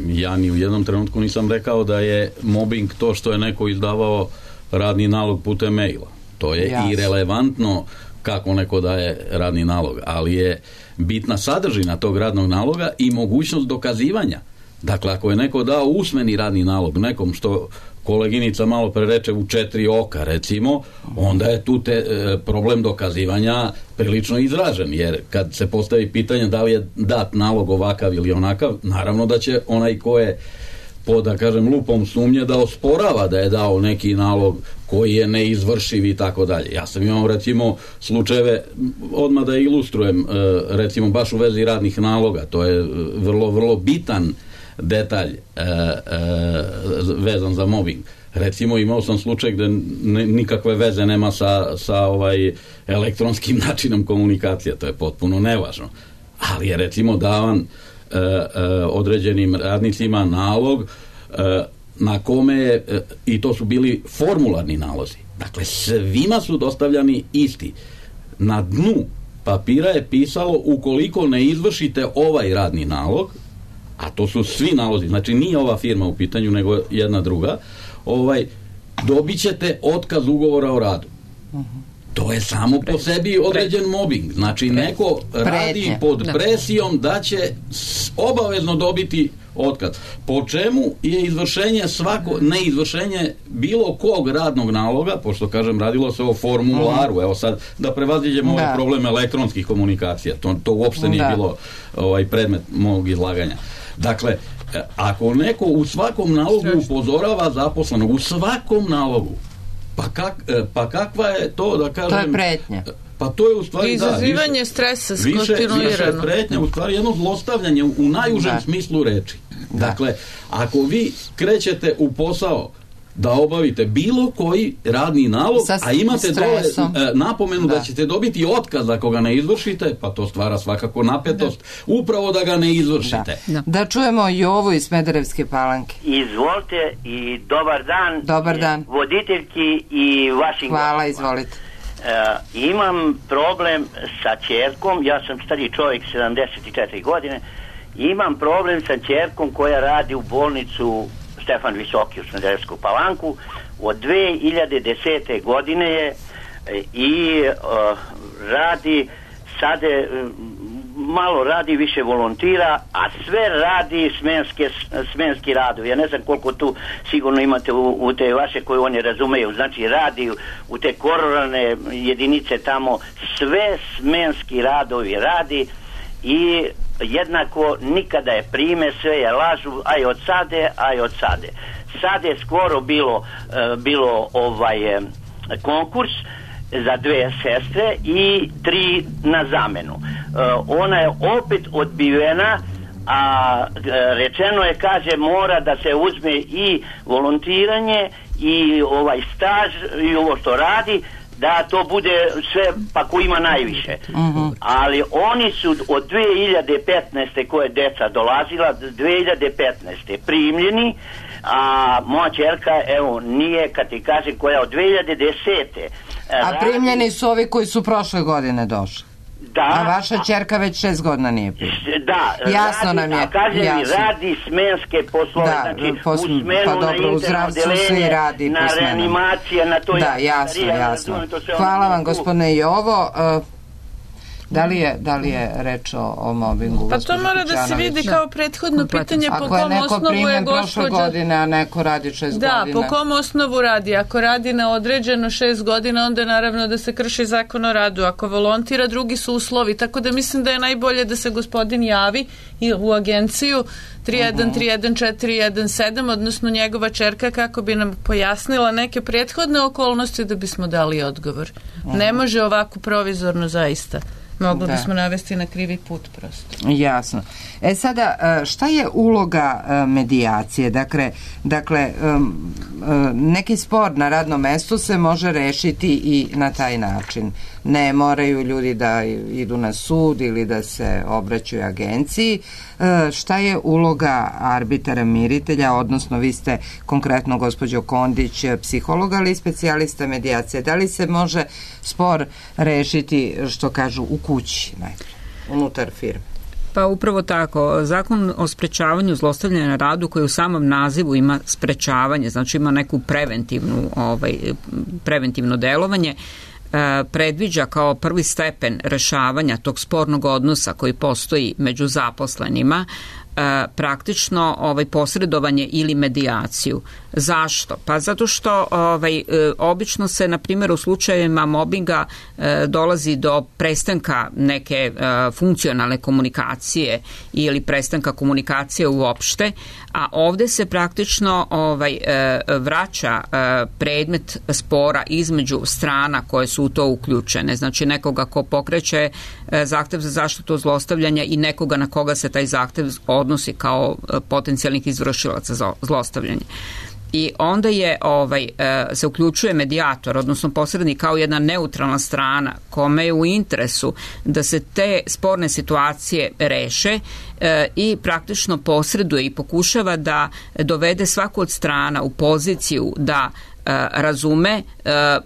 ja ni u jednom trenutku nisam rekao da je mobbing to što je neko izdavao radni nalog putem maila. To je Jasne. irelevantno kako neko daje radni nalog, ali je bitna sadržina tog radnog naloga i mogućnost dokazivanja. Dakle, ako je neko dao usmeni radni nalog nekom, što koleginica malo pre reče u četiri oka, recimo, onda je tu te, e, problem dokazivanja prilično izražen, jer kad se postavi pitanje da li je dat nalog ovakav ili onakav, naravno da će onaj ko je po, da kažem, lupom sumnje da osporava da je dao neki nalog koji je neizvršiv i tako dalje. Ja sam imao, recimo, slučajeve, odmah da ilustrujem, e, recimo, baš u vezi radnih naloga, to je vrlo, vrlo bitan detalj e, e, vezan za mobbing. Recimo, imao sam slučaj gde ne, nikakve veze nema sa, sa ovaj elektronskim načinom komunikacije, to je potpuno nevažno. Ali je, recimo, davan e, e, određenim radnicima nalog e, na kome je, e, i to su bili formularni nalozi. Dakle, svima su dostavljani isti. Na dnu papira je pisalo: ukoliko ne izvršite ovaj radni nalog, a to su svi nalozi, znači nije ova firma u pitanju, nego jedna druga, ovaj, dobit ćete otkaz ugovora o radu. To je samo po sebi određen mobbing. Znači, neko radi pod presijom da će obavezno dobiti otkaz. Po čemu je izvršenje svako, neizvršenje bilo kog radnog naloga, pošto, kažem, radilo se o formularu, evo sad da prevaziđemo ovaj problem elektronskih komunikacija, to, to uopšte nije da. bilo ovaj predmet mog izlaganja. Dakle, ako neko u svakom nalogu upozorava zaposlenog, u svakom nalogu, pa, kak, pa kakva je to, da kažem... To je pretnja. Pa to je u stvari, izazivanje da, više, stresa više, više pretnja, u stvari jedno zlostavljanje u, u najužem da. smislu reči. Da. Dakle, ako vi krećete u posao da obavite bilo koji radni nalog, sa a imate dole e, napomenu da. da ćete dobiti otkaz ako ga ne izvršite, pa to stvara svakako napetost, da. upravo da ga ne izvršite. Da, da čujemo Jovu iz Smederevske Palanke. Izvolite i dobar dan. Dobar dan. Voditeljki i vašim... Hvala, izvolite. E, imam problem sa ćerkom, ja sam stari čovjek, sedamdeset četiri godine, imam problem sa ćerkom koja radi u bolnicu Stefan Visoki u Smederevsku Palanku. Od dve hiljade desete godine je i uh, radi sade, malo radi, više volontira, a sve radi smenske, smenski radovi. Ja ne znam koliko tu sigurno imate u, u te vaše koje oni razumeju. Znači radi u te kororalne jedinice tamo, sve smenski radovi radi i jednako nikada je prime, sve je lažu, aj od sade, aj od sade. Sad je skoro bilo, uh, bilo ovaj konkurs za dve sestre i tri na zamenu. Uh, ona je opet odbivena, a uh, rečeno je, kaže, mora da se uzme i volontiranje i ovaj staž i ovo što radi, da to bude sve, pa ko ima najviše. Uh-huh. Ali oni su od dve hiljade petnaeste koje deca dolazila, dve hiljade petnaeste primljeni, a moja ćerka, evo, nije, kad ti kaže, koja od dve hiljade desete A radi... primljeni su ovi koji su prošle godine došli. Da. A vaša ćerka već šest godina nije primljena. Da. Jasno radi, nam je. A kaže mi, radi smenske poslove, da, znači pos... u smenu, pa dobro, na internodelenje, radi na reanimacije, na to... Da, jasno, jasno. Hvala vam, gospodine Jovo. Uh, Da li je, da li je reč o, o mobingu? Pa to mora da se vidi kao prethodno pitanje po kom osnovu je gospođa... godine, a neko radi šest da, godina. Da, po kom osnovu radi. Ako radi na određeno šest godina, onda naravno da se krši zakon o radu. Ako volontira, drugi su uslovi. Tako da mislim da je najbolje da se gospodin javi i u agenciju tri jedan tri jedan četiri jedan sedam, odnosno njegova ćerka, kako bi nam pojasnila neke prethodne okolnosti da bismo dali odgovor. Uh-huh. Ne može ovako provizorno zaista. Mogli bismo navesti na krivi put prosto. Jasno. E sada, šta je uloga medijacije? Dakle, dakle neki spor na radnom mestu se može rešiti i na taj način. Ne moraju ljudi da idu na sud ili da se obraćaju agenciji. Šta je uloga arbitara miritelja, odnosno vi ste konkretno, gospođo Kondić, psihologa ali i specijalista medijacije. Da li se može spor rešiti, što kažu, u kući najprej, unutar firme? Pa upravo tako. Zakon o sprečavanju zlostavljanja na radu koji u samom nazivu ima sprečavanje, znači ima neku preventivnu, ovaj, preventivno delovanje, predviđa kao prvi stepen rešavanja tog spornog odnosa koji postoji među zaposlenima praktično ovaj posredovanje ili medijaciju. Zašto? Pa zato što ovaj, obično se, na primjer, u slučajevima mobinga dolazi do prestanka neke funkcionalne komunikacije ili prestanka komunikacije uopšte, a ovde se praktično ovaj, vraća predmet spora između strana koje su u to uključene. Znači nekoga ko pokreće zahtev za zaštitu zlostavljanja i nekoga na koga se taj zahtev odnosi kao potencijalnih izvršilaca za zlostavljanje. I onda je ovaj, se uključuje medijator, odnosno posrednik kao jedna neutralna strana kome je u interesu da se te sporne situacije reše i praktično posreduje i pokušava da dovede svaku od strana u poziciju da razume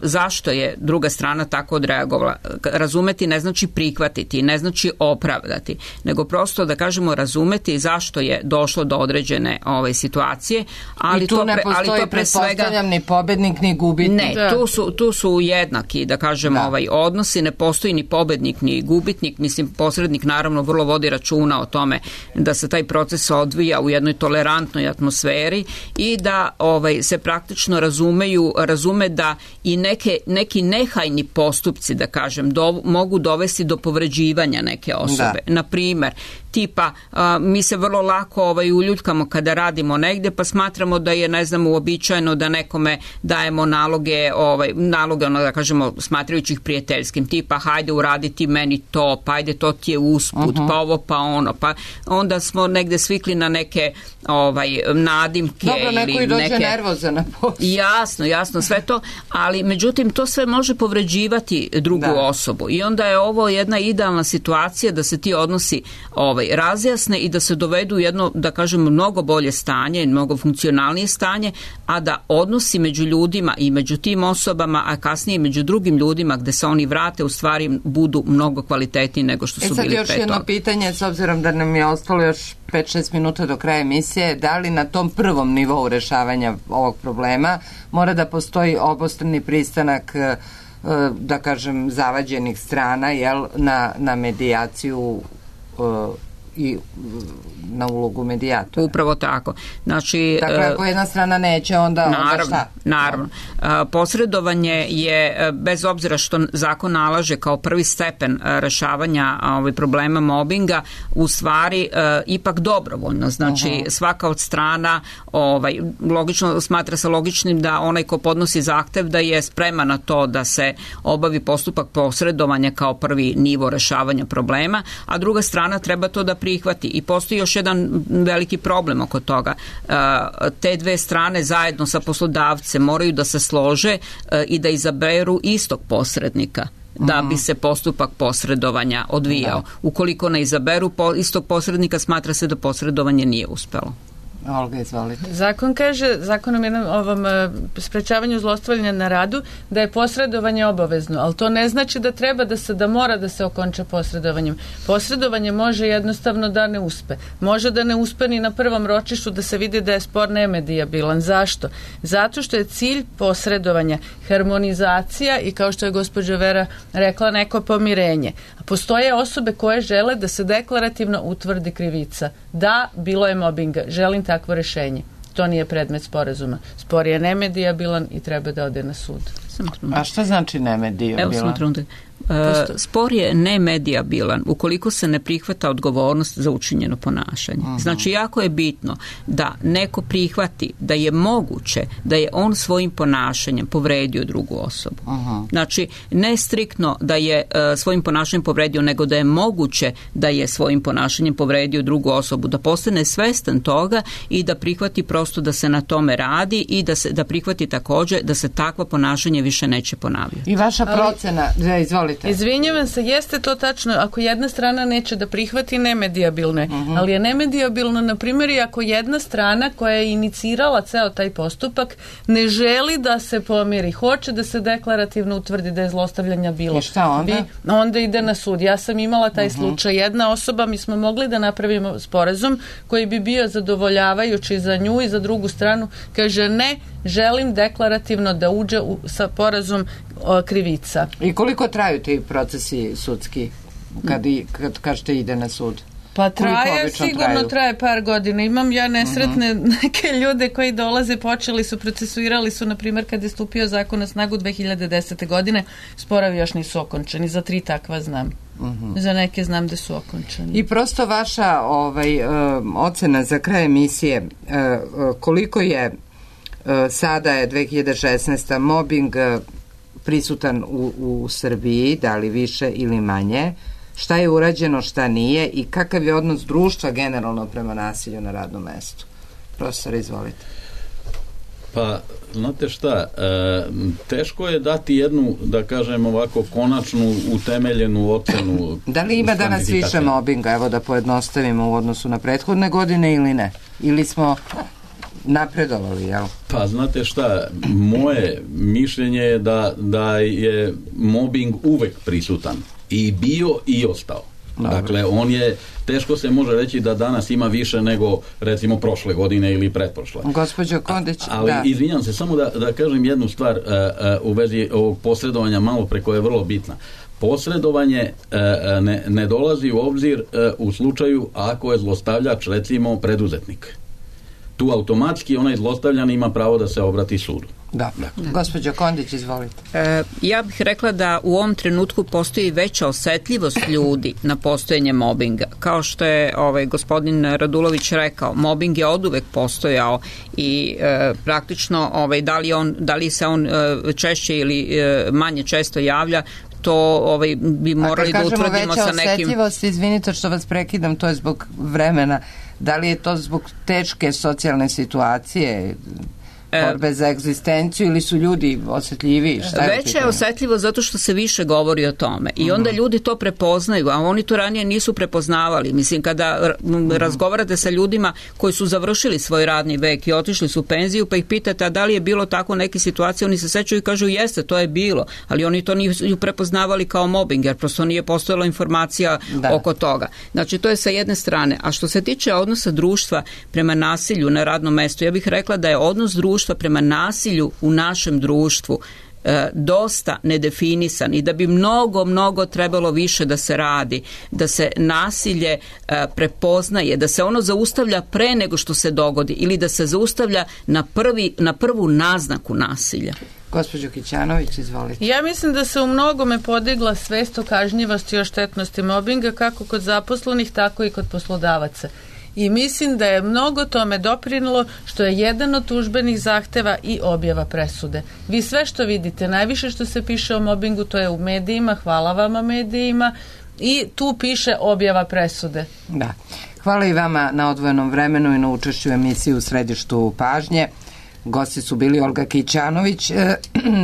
zašto je druga strana tako odreagovala. Razumeti ne znači prihvatiti, ne znači opravdati, nego prosto da kažemo razumeti zašto je došlo do određene ove situacije, ali i tu to ne pre, postoji, ali to pre svega ni pobednik ni gubitnik. Ne, da. tu su, tu su jednaki, da kažemo, da. ovaj odnosi, ne postoji ni pobednik ni gubitnik, mislim posrednik naravno vrlo vodi računa o tome da se taj proces odvija u jednoj tolerantnoj atmosferi i da ovaj se praktično razume razume da i neke, neki nehajni postupci, da kažem, do, mogu dovesti do povređivanja neke osobe. Da. Na primer, tipa, a, mi se vrlo lako ovaj, uljuljkamo kada radimo negde, pa smatramo da je, ne znam, uobičajeno da nekome dajemo naloge, ovaj, naloge, ono da kažemo, smatrajući ih prijateljskim, tipa, hajde uraditi meni to, pa ajde to ti je usput, uh-huh. pa ovo, pa ono, pa onda smo negde svikli na neke ovaj, nadimke. Dobro, neko ili i dođe neke... nervozan na poslu. Jasno, jasno, sve to, ali međutim to sve može povređivati drugu da. osobu i onda je ovo jedna idealna situacija da se ti odnosi ovaj, razjasne i da se dovedu u jedno, da kažem, mnogo bolje stanje, mnogo funkcionalnije stanje, a da odnosi među ljudima i među tim osobama, a kasnije i među drugim ljudima gde se oni vrate, u stvari budu mnogo kvalitetniji nego što su bili pre toga. E sad još jedno pitanje, s obzirom da nam je ostalo još pet šest minuta do kraja emisije, da li na tom prvom nivou rešavanja ovog problema mora da postoji obostrani pristanak, da kažem, zavađenih strana, jel, na, na medijaciju i na ulogu medijatora. Upravo tako. Znači, dakle, ako jedna strana neće, onda, naravno, onda šta? Naravno. Posredovanje je, bez obzira što zakon nalaže kao prvi stepen rešavanja ovaj, problema mobinga, u stvari ipak dobrovoljno. Znači, uh-huh. svaka od strana ovaj, logično, smatra se logičnim da onaj ko podnosi zahtev da je spreman na to da se obavi postupak posredovanja kao prvi nivo rešavanja problema, a druga strana treba to da prihvati. I postoji još jedan veliki problem oko toga. Te dve strane zajedno sa poslodavcem moraju da se slože i da izaberu istog posrednika da bi se postupak posredovanja odvijao. Da. Ukoliko ne izaberu istog posrednika, smatra se da posredovanje nije uspelo. Olga, izvolite. Zakon kaže, zakonom jednom ovom sprečavanju zlostavljanja na radu, da je posredovanje obavezno, ali to ne znači da treba da se, da mora da se okonča posredovanjem. Posredovanje može jednostavno da ne uspe. Može da ne uspe ni na prvom ročištu, da se vidi da je spor nemedijabilan. Zašto? Zato što je cilj posredovanja harmonizacija i, kao što je gospođa Vera rekla, neko pomirenje. A postoje osobe koje žele da se deklarativno utvrdi krivica. Da, bilo je mobinga. Želim takvo rešenje. To nije predmet sporazuma. Spor je nemedijabilan i treba da ode na sud. A šta znači nemedijabilan? Evo sam trenutak. Uh, spor je nemedijabilan ukoliko se ne prihvata odgovornost za učinjeno ponašanje. Uh-huh. Znači, jako je bitno da neko prihvati da je moguće da je on svojim ponašanjem povredio drugu osobu. Uh-huh. Znači, ne striktno da je uh, svojim ponašanjem povredio, nego da je moguće da je svojim ponašanjem povredio drugu osobu, da postane svestan toga i da prihvati prosto da se na tome radi i da, se, da prihvati također da se takva ponašanje više neće ponavljati. I vaša procena, Ali... izvolite. izvolite. Izvinjavam se, jeste to tačno, ako jedna strana neće da prihvati, nemedijabilno je, uh-huh. ali je nemedijabilno, na primjer, i ako jedna strana koja je inicirala ceo taj postupak ne želi da se pomiri, hoće da se deklarativno utvrdi da je zlostavljanja bilo. I šta onda? Bi, onda ide na sud. Ja sam imala taj uh-huh. slučaj. Jedna osoba, mi smo mogli da napravimo sporazum koji bi bio zadovoljavajući za nju i za drugu stranu, kaže ne, želim deklarativno da uđe u, sa porazom o, krivica. I koliko traju ti procesi sudski kad, i, kad kažete ide na sud? Pa traje, sigurno traju? traje par godina. Imam ja nesretne uh-huh. neke ljude koji dolaze, počeli su, procesuirali su, na primjer, kad je stupio zakon na snagu dve hiljade desete. godine, sporovi još nisu okončani. Za tri takva znam. Uh-huh. Za neke znam da su okončani. I prosto vaša ovaj, uh, ocena za kraj emisije, uh, uh, koliko je uh, sada je dve hiljade šesnaeste. mobbing uh, prisutan u, u Srbiji, da li više ili manje, šta je urađeno, šta nije i kakav je odnos društva generalno prema nasilju na radnom mestu? Profesor, izvolite. Pa, znate šta, e, teško je dati jednu, da kažem ovako, konačnu, utemeljenu ocenu. Da li ima danas više mobinga, evo da pojednostavimo u odnosu na prethodne godine ili ne? Ili smo napredovali, jel? Pa, znate šta, moje mišljenje je da, da je mobbing uvek prisutan. I bio i ostao. Dobre. Dakle, on je, teško se može reći da danas ima više nego, recimo, prošle godine ili pretprošle. Gospođo Kondić, A, ali, da. izvinjam se, samo da, da kažem jednu stvar uh, uh, u vezi ovog posredovanja malo pre koja je vrlo bitna. Posredovanje uh, ne, ne dolazi u obzir uh, u slučaju ako je zlostavljač, recimo, preduzetnik. Tu automatski onaj zlostavljan ima pravo da se obrati sudu. Da. da. Gospođo Kondić, izvolite. E, ja bih rekla da u ovom trenutku postoji veća osetljivost ljudi na postojanje mobinga. Kao što je ovaj, gospodin Radulović rekao, mobing je oduvek postojao i e, praktično ovaj, da, li on, da li se on e, češće ili e, manje često javlja, to ovaj, bi morali da utvrdimo sa nekim... A kad kažemo veća osetljivost, izvinite što vas prekidam, to je zbog vremena. Da li je to zbog teške socijalne situacije, borbe za egzistenciju, ili su ljudi osjetljiviji? Veća je osetljivo zato što se više govori o tome i onda ljudi to prepoznaju, a oni to ranije nisu prepoznavali. Mislim, kada razgovarate sa ljudima koji su završili svoj radni vek i otišli su u penziju, pa ih pitate a da li je bilo tako neke situacije, oni se sećaju i kažu jeste, to je bilo, ali oni to nisu prepoznavali kao mobbing, jer prosto nije postojala informacija da. oko toga. Znači, to je sa jedne strane. A što se tiče odnosa društva prema nasilju na radnom mestu, ja bih rekla da je odnos društva prema nasilju u našem društvu e, dosta nedefinisan i da bi mnogo, mnogo trebalo više da se radi, da se nasilje e, prepoznaje, da se ono zaustavlja pre nego što se dogodi ili da se zaustavlja na, prvi, na prvu naznaku nasilja. Gospođo Kićanović, izvolite. Ja mislim da se u mnogome podigla svest o kažnjivosti i o štetnosti mobinga kako kod zaposlenih, tako i kod poslodavaca. I mislim da je mnogo tome doprinilo što je jedan od tužbenih zahteva i objava presude. Vi sve što vidite, najviše što se piše o mobingu, to je u medijima, hvala vama medijima, i tu piše objava presude. Da. Hvala i vama na odvojenom vremenu i na učešću emisiji U središtu pažnje. Gosti su bili Olga Kićanović, eh,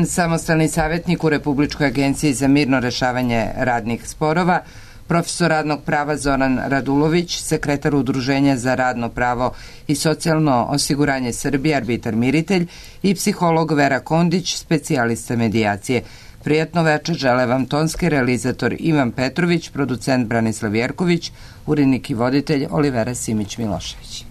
samostalni savjetnik u Republičkoj agenciji za mirno rešavanje radnih sporova, profesor radnog prava Zoran Radulović, sekretar Udruženja za radno pravo i socijalno osiguranje Srbije, arbitar miritelj, i psiholog Vera Kondić, specijalista medijacije. Prijatno večer žele vam tonski realizator Ivan Petrović, producent Branislav Jerković, urednik i voditelj Olivera Simić-Milošević.